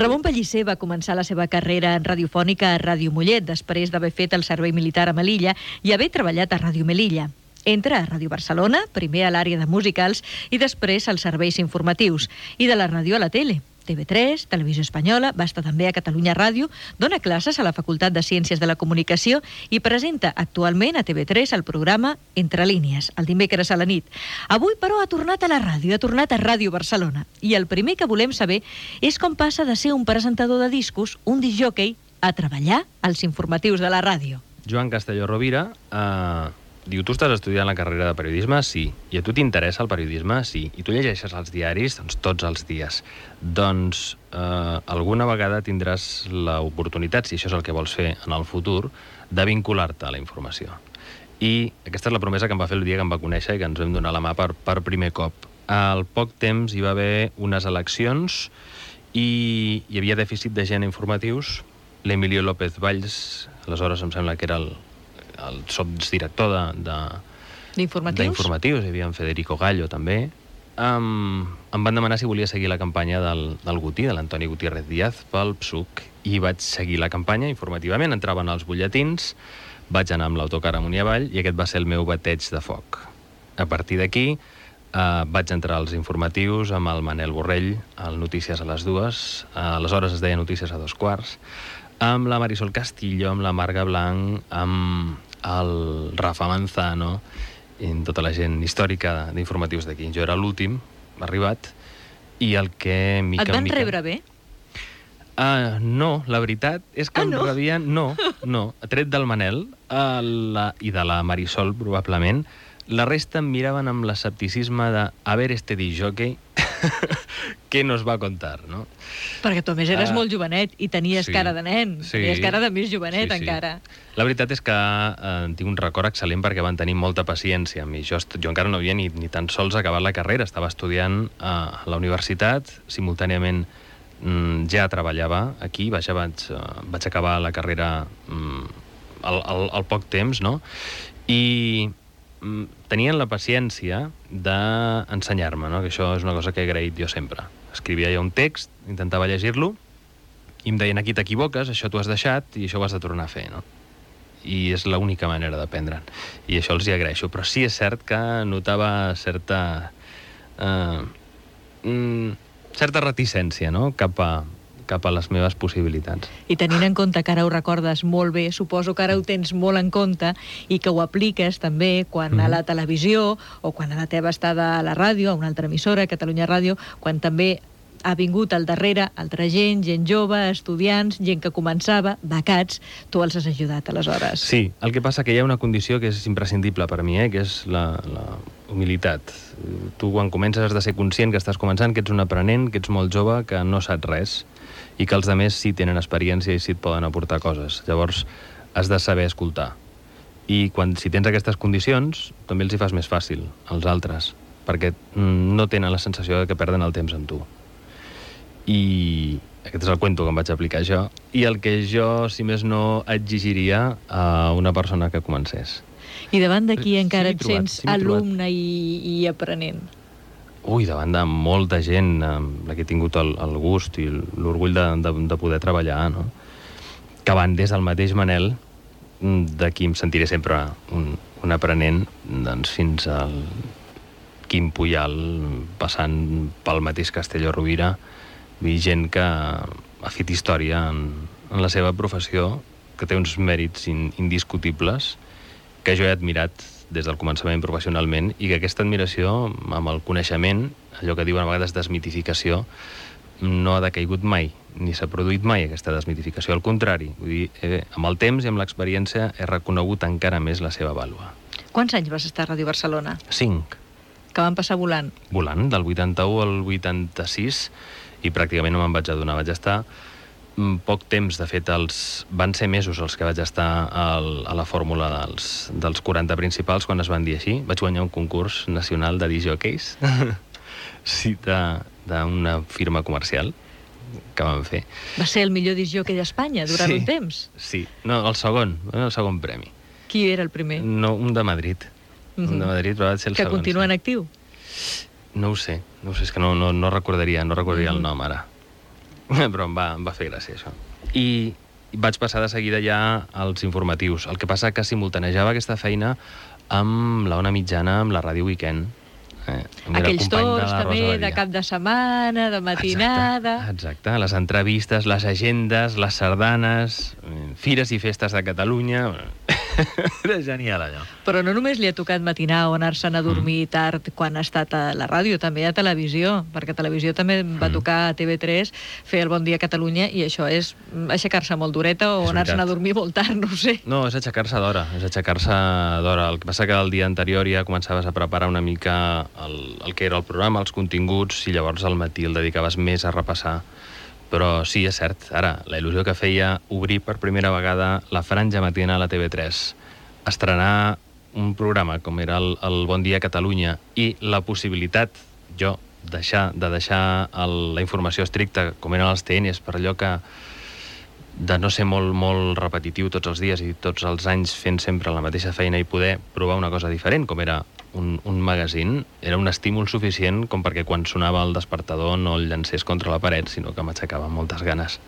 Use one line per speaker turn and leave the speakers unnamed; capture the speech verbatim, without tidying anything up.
Ramon Pellicer va començar la seva carrera en radiofònica a Ràdio Mollet, després d'haver fet el servei militar a Melilla i haver treballat a Ràdio Melilla. Entra a Ràdio Barcelona, primer a l'àrea de musicals i després als serveis informatius, i de la ràdio a la tele. T V tres, Televisió Espanyola, va estar també a Catalunya Ràdio, dona classes a la Facultat de Ciències de la Comunicació i presenta actualment a T V tres el programa Entre línies, el dimecres a la nit. Avui, però, ha tornat a la ràdio, ha tornat a Ràdio Barcelona. I el primer que volem saber és com passa de ser un presentador de discos, un discjòquei, a treballar als informatius de la ràdio.
Joan Castelló Rovira eh, diu, tu estàs estudiant la carrera de periodisme? Sí. I a tu t'interessa el periodisme? Sí. I tu llegeixes els diaris? Doncs tots els dies. Doncs eh, alguna vegada tindràs l'oportunitat, si això és el que vols fer en el futur, de vincular-te a la informació. I aquesta és la promesa que em va fer el dia que em va conèixer i que ens vam donar la mà per, per primer cop. Al poc temps hi va haver unes eleccions i hi havia dèficit de gent informatius. L'Emilio López Valls, aleshores em sembla que era el el sotsdirector de, de,
d'informatius.
d'informatius, hi havia en Federico Gallo també, um, em van demanar si volia seguir la campanya del, del Guti, de l'Antoni Gutiérrez Díaz, pel P S U C, i vaig seguir la campanya informativament, entraven als butlletins, vaig anar amb l'autocar amunt i avall, i aquest va ser el meu bateig de foc. A partir d'aquí, uh, vaig entrar als informatius amb el Manel Borrell, al Notícies a les dues, uh, aleshores es deia Notícies a dos quarts, amb la Marisol Castillo, amb la Marga Blanc, amb el Rafa Manzano, i tota la gent històrica d'informatius d'aquí. Jo era l'últim, arribat, i el que... Mica,
Et van
mica...
rebre bé?
Uh, no, la veritat és que
ah,
em
no?
rebien... No, no, tret del Manel uh, la, i de la Marisol, probablement, la resta em miraven amb l'escepticisme de a ver este discjòquei què nos va contar, no?
Perquè tu, a més, eres
uh,
molt jovenet i tenies
sí,
cara de nen.
sí,
tenies cara de més jovenet,
sí, sí.
encara.
La veritat és que eh, tinc un record excel·lent perquè van tenir molta paciència amb mi. Jo, jo encara no havia ni, ni tan sols acabat la carrera. Estava estudiant eh, a la universitat, simultàniament mm, ja treballava aquí, vaig, vaig, uh, vaig acabar la carrera mm, al, al, al poc temps, no? I mm, tenien la paciència d'ensenyar-me, no? Que això és una cosa que he agraït jo sempre. Escrivia jo un text, intentava llegir-lo, i em deien, aquí t'equivoques, això t'ho has deixat i això ho has de tornar a fer, no? I és l'única manera d'aprendre'n. I això els hi agraeixo. Però sí és cert que notava certa... Eh, mm, certa reticència, no?, cap a, cap a les meves possibilitats.
I tenint en compte que ara ho recordes molt bé, suposo que ara ho tens molt en compte i que ho apliques també quan mm-hmm. a la televisió o quan a la teva estada a la ràdio, a una altra emissora, Catalunya Ràdio, quan també ha vingut al darrere altra gent, gent jove, estudiants, gent que començava, becats, tu els has ajudat aleshores.
Sí, el que passa que hi ha una condició que és imprescindible per mi, eh, que és la, la humilitat. Tu quan comences has de ser conscient que estàs començant, que ets un aprenent, que ets molt jove, que no saps res, i que els altres sí tenen experiència i sí et poden aportar coses. Llavors, has de saber escoltar. I quan, si tens aquestes condicions, també els hi fas més fàcil als altres, perquè no tenen la sensació de que perden el temps amb tu. I aquest és el cuento que em vaig aplicar jo, i el que jo, si més no, exigiria a una persona que comencés.
I davant d'aquí encara
sí,
et
trobat,
sents
sí,
alumne i, i aprenent?
Ui, davant de molta gent amb la que he tingut el, el gust i l'orgull de, de, de poder treballar, no? Que van des del mateix Manel, de qui em sentiré sempre un, un aprenent, doncs fins al Quim Puyal, passant pel mateix Castelló Rovira, i gent que ha fet història en, en la seva professió, que té uns mèrits in, indiscutibles, que jo he admirat des del començament professionalment, i que aquesta admiració, amb el coneixement, allò que diuen a vegades desmitificació, no ha decaigut mai, ni s'ha produït mai aquesta desmitificació. Al contrari, vull dir, eh, amb el temps i amb l'experiència he reconegut encara més la seva vàlua.
Quants anys vas estar a Ràdio Barcelona?
Cinc.
Que van passar volant?
Volant, del vuitanta-u al vuitanta-sis, i pràcticament no me'n vaig adonar. Vaig estar poc temps, de fet, els... van ser mesos els que vaig estar al, a la fórmula dels, dels quaranta principals, quan es van dir així. Vaig guanyar un concurs nacional de discjòqueis, sí, d'una firma comercial que vam fer.
Va ser el millor discjòquei d'Espanya durant
sí,
un temps?
Sí, no, el segon, el segon premi.
Qui era el primer?
No, un de Madrid. Mm-hmm. Un de Madrid, però va ser el
que
segon.
Que continua
sí.
en actiu?
No ho sé, no ho sé, és que no, no, no recordaria, no recordaria mm. el nom ara. però em va, em va fer gràcia, això. I vaig passar de seguida ja als informatius. El que passa que simultanejava aquesta feina amb la Ona Mitjana, amb la Ràdio Weekend.
Eh, Aquells torns també de cap de setmana, de matinada...
Exacte, exacte, les entrevistes, les agendes, les sardanes, fires i festes de Catalunya...
Era genial, allò.
Però no només li ha tocat matinar o anar-se'n a dormir mm. tard quan ha estat a la ràdio, també a televisió, perquè a televisió també va mm. tocar a T V tres fer el Bon Dia Catalunya, i això és aixecar-se molt d'horeta o anar-se'n a dormir molt tard, no ho sé.
No, és aixecar-se d'hora, és aixecar-se d'hora. El que passa que el dia anterior ja començaves a preparar una mica el, el que era el programa, els continguts, i llavors al matí el dedicaves més a repassar. Però sí, és cert, ara, la il·lusió que feia obrir per primera vegada la franja matinal a T V tres, estrenar un programa com era el, el Bon Dia Catalunya, i la possibilitat, jo, deixar, de deixar el, la informació estricta, com eren els T Ns, per allò que de no ser molt, molt repetitiu tots els dies i tots els anys fent sempre la mateixa feina, i poder provar una cosa diferent, com era un, un magazín, era un estímul suficient com perquè quan sonava el despertador no el llancés contra la paret, sinó que m'aixecava moltes ganes.